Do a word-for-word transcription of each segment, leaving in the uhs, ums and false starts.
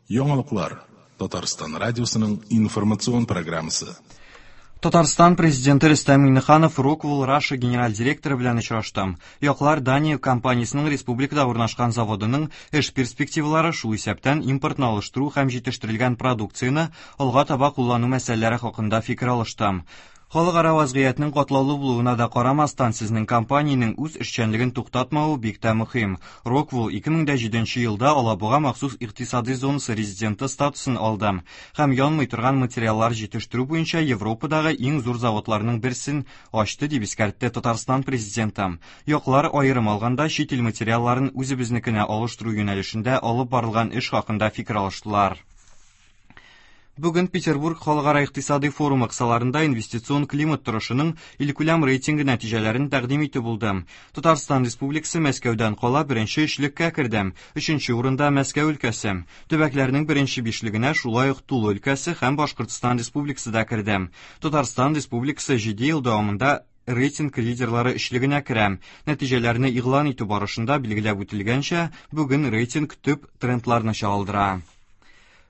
Яңалыклар. Татарстан радиосының информацион программасы. Татарстан президенты Рөстәм Миңнеханов Rockwell Russia генераль директоры белән очрашты. Яклар Дания компаниясенең республикада урнашкан заводының эш перспективалары, шул исәптән импортны алыштыру һәм җитештерелгән продукцияне алга таба куллану мәсьәләләре хакында фикер алышты. Халыкара вазгыятьнең катлаулы булуына да карамастан, сезнең компаниянең үз эшчәнлеген туктатмавы бик тә мөһим. Rockwell ике мең дә җиденче елда Алабуга махсус икътисади зонасы резиденты статусын алды һәм янмый торган материаллар җитештерү буенча Европадагы иң зур заводларның берсен ачты, дип искәртте Татарстан президенты. Яклар аерым алганда чит ил материалларын үзебезнекенә алыштыру юнәлешендә алып барылган эш хакында фикер алыштылар. Бүген Петербург халыкара икътисади форумы кысаларында инвестицион климат торышының илкүләм рейтингы нәтиҗәләрен тәкъдим итү булды. Татарстан Республикасы Мәскәүдән кала беренче өчлеккә керде. Өченче урында Мәскәү өлкәсе. Төбәкләрнең беренче бишлегенә шулай ук Тула өлкәсе һәм Башкортстан Республикасы да керде. Татарстан Республикасы җиде ел дәвамында рейтинг лидерлары өчлегенә керә. Нәтиҗәләрне игълан итү барышында билгеләп үтелгәнчә, бүген рейтинг төп трендларны чагылдыра.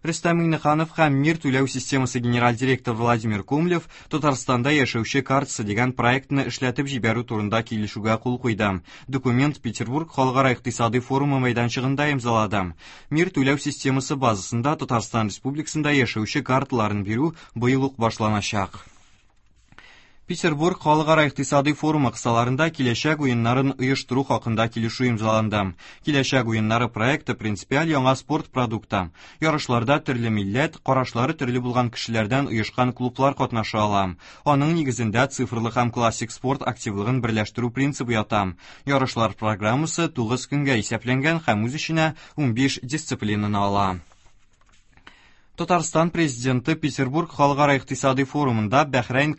Рөстәм Миңнеханов һәм Мир түләү системасы генераль директоры Владимир Кумлев Татарстанда яшәүче картасы дигән проектны эшләтеп җибәрү турында килешүгә кул куйды. Документ Петербург халыкара икътисади форумы мәйданчыгында имзалады. Мир түләү системасы базасында Татарстан Республикасында яшәүче карталарын бирү быел ук башланачак. Петербург халыкара икътисади форумы кысаларында киләчәк уеннарын оештыру хакында килешү имзаланды. Киләчәк уеннары проекты принципиаль яңа спорт продукты. Ярышларда төрле милләт, карашлары төрле булган кешеләрдән оешкан клублар катнаша ала. Аның нигезендә цифрлы һәм классик спорт активлыгын берләштерү принцибы ята. Ярышлар программасы тугыз көнгә исәпләнгән һәм үз эченә унбиш дисциплинаны ала. Татарстан президенты Петербург халыкара икътисади форумында Бәхрәйн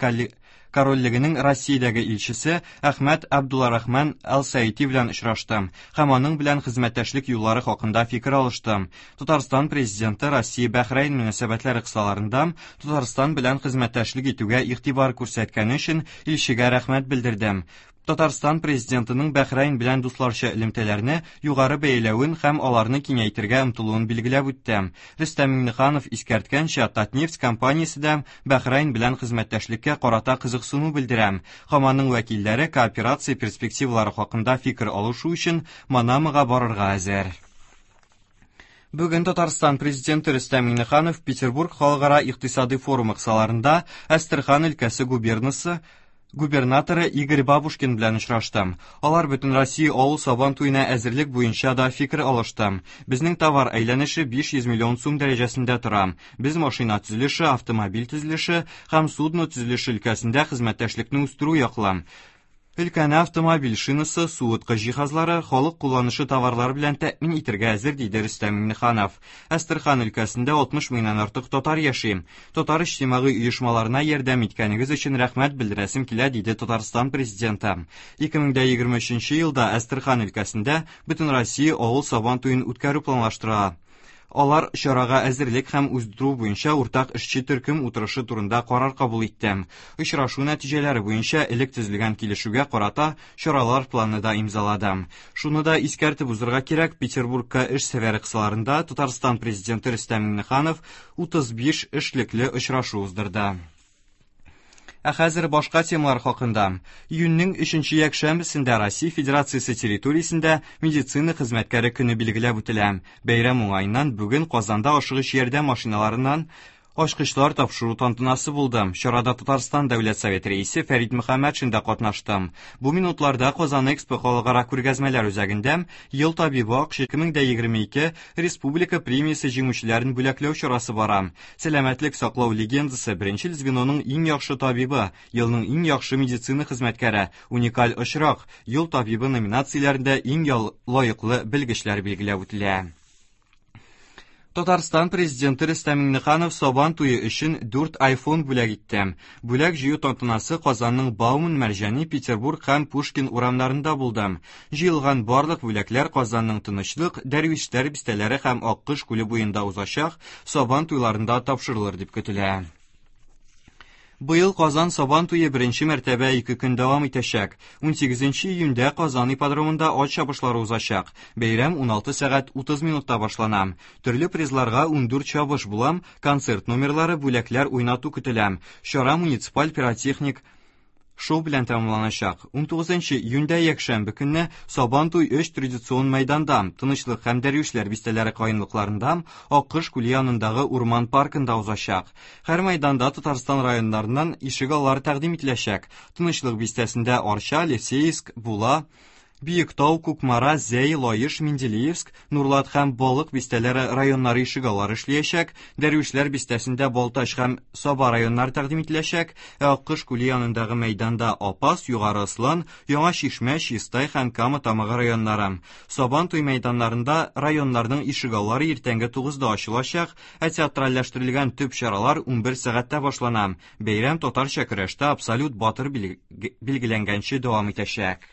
корольлегенең Россиядәге илчесе Әхмәт Абдулларахман Әл-Саити белән очрашты һәм аның белән хезмәттәшлек юллары хакында фикер алышты. Татарстан президенты Россия-Бәхрәйн мөнәсәбәтләре кысаларында Татарстан белән хезмәттәшлек итүгә игътибар күрсәткәне өчен илчегә рәхмәт белдерде. Татарстан президентының Бәхрәйн белән дусларча элемтәләрне югары бәяләвен һәм аларны киңәйтергә омтылуын билгеләп үтте. Рөстәм Миңнеханов искәрткәнчә, Татнефть компаниясе дә Бәхрәйн белән хезмәттәшлеккә карата кызыксыну белдерә. Һәм аның вәкилләре кооперация перспективалары хакында фикер алышу өчен Манамага барырга әзер. Бүген Татарстан президенты Рөстәм Миңнеханов Петербург халыкара икътисади форумы кысаларында Әстерхан өлкәсе губернасы губернаторы Игорь Бабушкин белән очрашты. Алар бөтен Россия авыл сабан туена әзерлек буенча да фикер алышты. Безнең товар әйләнеше биш йөз миллион сум дәрәҗәсендә тора. Без машина төзелеше, автомобиль төзелеше һәм судно төзелеше өлкәсендә хезмәттәшлекне үстерү яклы. Өлкәне автомобиль шинасы, суыткыч җиһазлары, халык кулланышы товарлары белән тәэмин итәргә әзер, диде Рөстәм Миңнеханов. Әстерхан өлкәсендә алтмыш меңнән артык татар яши. Татар иҗтимагый оешмаларына ярдәм иткәнегез өчен рәхмәт белдерәсем килә, диде Татарстан президенты. Ике мең дә егерме өченче елда Әстерхан өлкәсендә бөтен Россия авыл сабан туен үткәрү планлаштыра. Алар чарага әзерлек һәм уздыру буенча уртак эшче төркем утырышы турында карар кабул итте. Очрашу нәтиҗәләре буенча элек төзелгән килешүгә карата чаралар планы да имзалады. Шуны да искәртеп узырга кирәк, Петербургка эш сәфәре кысаларында Татарстан президенты Рөстәм Миңнеханов утыз биш эшлекле очрашу уздырды. Ә хәзер башка темалар хакында. Июньнең өченче якшәмбесендә Россия Федерациясе территориясендә медицина хезмәткәре көне билгеләп үтелә. Бәйрәм уңаеннан бүген Казанда ашыгыч ярдәм машиналарыннан ачкычлар тапшыру тантанасы булды. Чарада Татарстан Дәүләт Советы рәисе Фәрит Мөхәммәтшин дә катнашты. Бу минутларда Казан Экспо халыкара күргәзмәләр үзәгендә Ел табибы Акш ике мең дә егерме ике республика премиясе җиңүчеләрен бүләкләү чарасы бара. Сәламәтлек саклау легендасы, беренче звеноның иң яхшы табибы, елның иң яхшы медицина хезмәткәре, уникаль очрак, Ел табибы номинацияләрендә иң лаеклы белгечләр билгеләп үтелә. Татарстан президенты Рөстәм Миңнеханов Сабан туе өчен дүрт iPhone бүләк итте. Бүләк җыю тантанасы Казанның Бауман, Мәрҗани, Петербург һәм Пушкин урамнарында булды. Җыелган барлык бүләкләр Казанның Тынычлык, Дәрвишләр бистәләре һәм Аккош күле буенда узачак Сабан туйларында тапшырылыр дип көтелә. Быел Казан Сабан туе беренче мәртәбә ике көн дәвам итәчәк. Унсигезенче июньдә Казан ипподромында ат чабышлары узачак. Бәйрәм уналты сәгать утыз минутта башлана. Төрле призларга ундүрт чабыш була, концерт номерлары, бүләкләр уйнату көтелә. Чара муниципаль пиротехник шоу белән тәмамланачак. Унтугызынчы июньдә якшәмбе көнне Сабан туй өч традицион мәйданда, Тынычлык һәм Дәрвишләр бистәләре каенлыкларында, Аккош күле янындагы урман паркында узачак. Һәр мәйданда Татарстан районнарыннан ишек аллары тәкъдим ителәчәк. Тынычлык бистәсендә Арча, Алексеевск, Була, Биектау, Кукмара, Зәй, Лаеш, Менделеевск, Нурлат һәм Балык бистәләре районнары ишек аллары эшләячәк. Дәрвишләр бистәсендә Балтач һәм Саба районнары тәкъдим ителәчәк. Ә Аккош күле янындагы мәйданда Апас, Югары Ослан, Яңа Чишмә, Чистай һәм Кама Тамагы районнары. Сабан туй мәйданнарында районнарның ишек аллары иртәнге тугызда ачылачак, ә театральләштерелгән төп чаралар унбер сәгатьтә башлана. Бәйрәм татарча көрәштә абсолют батыр билгеләнгәнче дәвам итәчәк.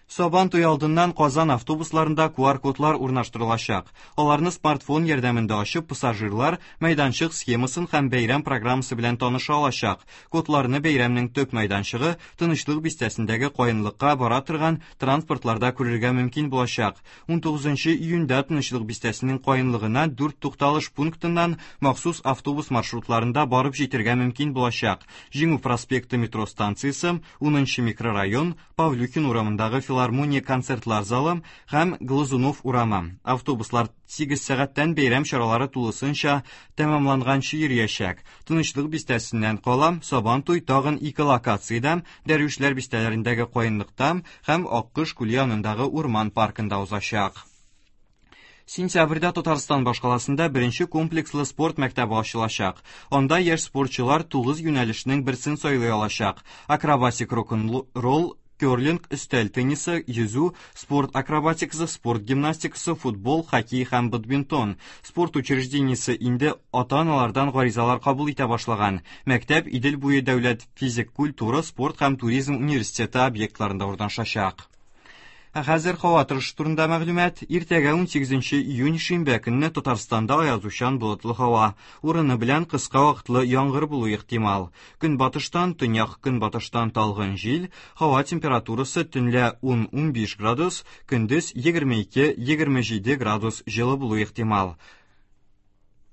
Сабан туй алдыннан Казан автобусларында ку ар кодлар урнаштырылачак. Аларны смартфон ярдәмендә ачып, пассажирлар мәйданчык схемасын һәм бәйрәм программасы белән таныша алачак. Кодларны бәйрәмнең төп мәйданчыгы Тынычлык бистәсендәге каенлыкка бара торган транспортларда күрергә мөмкин булачак. Унтугызынчы июньдә Тынычлык бистәсенең каенлыгына дүрт тукталыш пунктыннан махсус автобус маршрутларында барып җитәргә мөмкин булачак. Җиңү проспекты метро станциясе, унынчы микрорайон, Павлюхин урамындагы филармония концертлар залы һәм Глазунов урамы. Автобуслар сигез сәгатьтән бәйрәм чаралары тулысынча тәмамланганчы йөриячәк. Тынычлык бистәсеннән кала Сабан туй тагын ике локациядә, Дәрвишләр бистәләрендәге каенлыкта һәм Аккош күле янындагы урман паркында узачак. Сентябрьдә Татарстан башкаласында беренче комплекслы спорт мәктәбе ачылачак. Анда яшь спортчылар тугыз юнәлешнең берсен сайлый алачак. Акробатик, рок-н-ролл, керлинг, өстәл теннисы, йөзү, спорт акробатикасы, спорт гимнастикасы, футбол, хоккей һәм бадминтон. Спорт учреждениесе инде ата-аналардан гаризалар кабул итә башлаган. Мәктәп Идел буе дәүләт физик культура, спорт һәм туризм университеты объектларында урнашачак. Ә хәзер һава торышы турында мәгълүмат. Иртәгә унсигезенче июнь шимбә көнне Татарстанда аязучан болытлы һава. Урыны белән кыска вакытлы яңгыр булу ихтимал. Көнбатыштан, төньяк көнбатыштан талгын җил, һава температурасы төнлә ун-унбиш градус, көндез егерме ике-егерме җиде градус җылы булу ихтимал.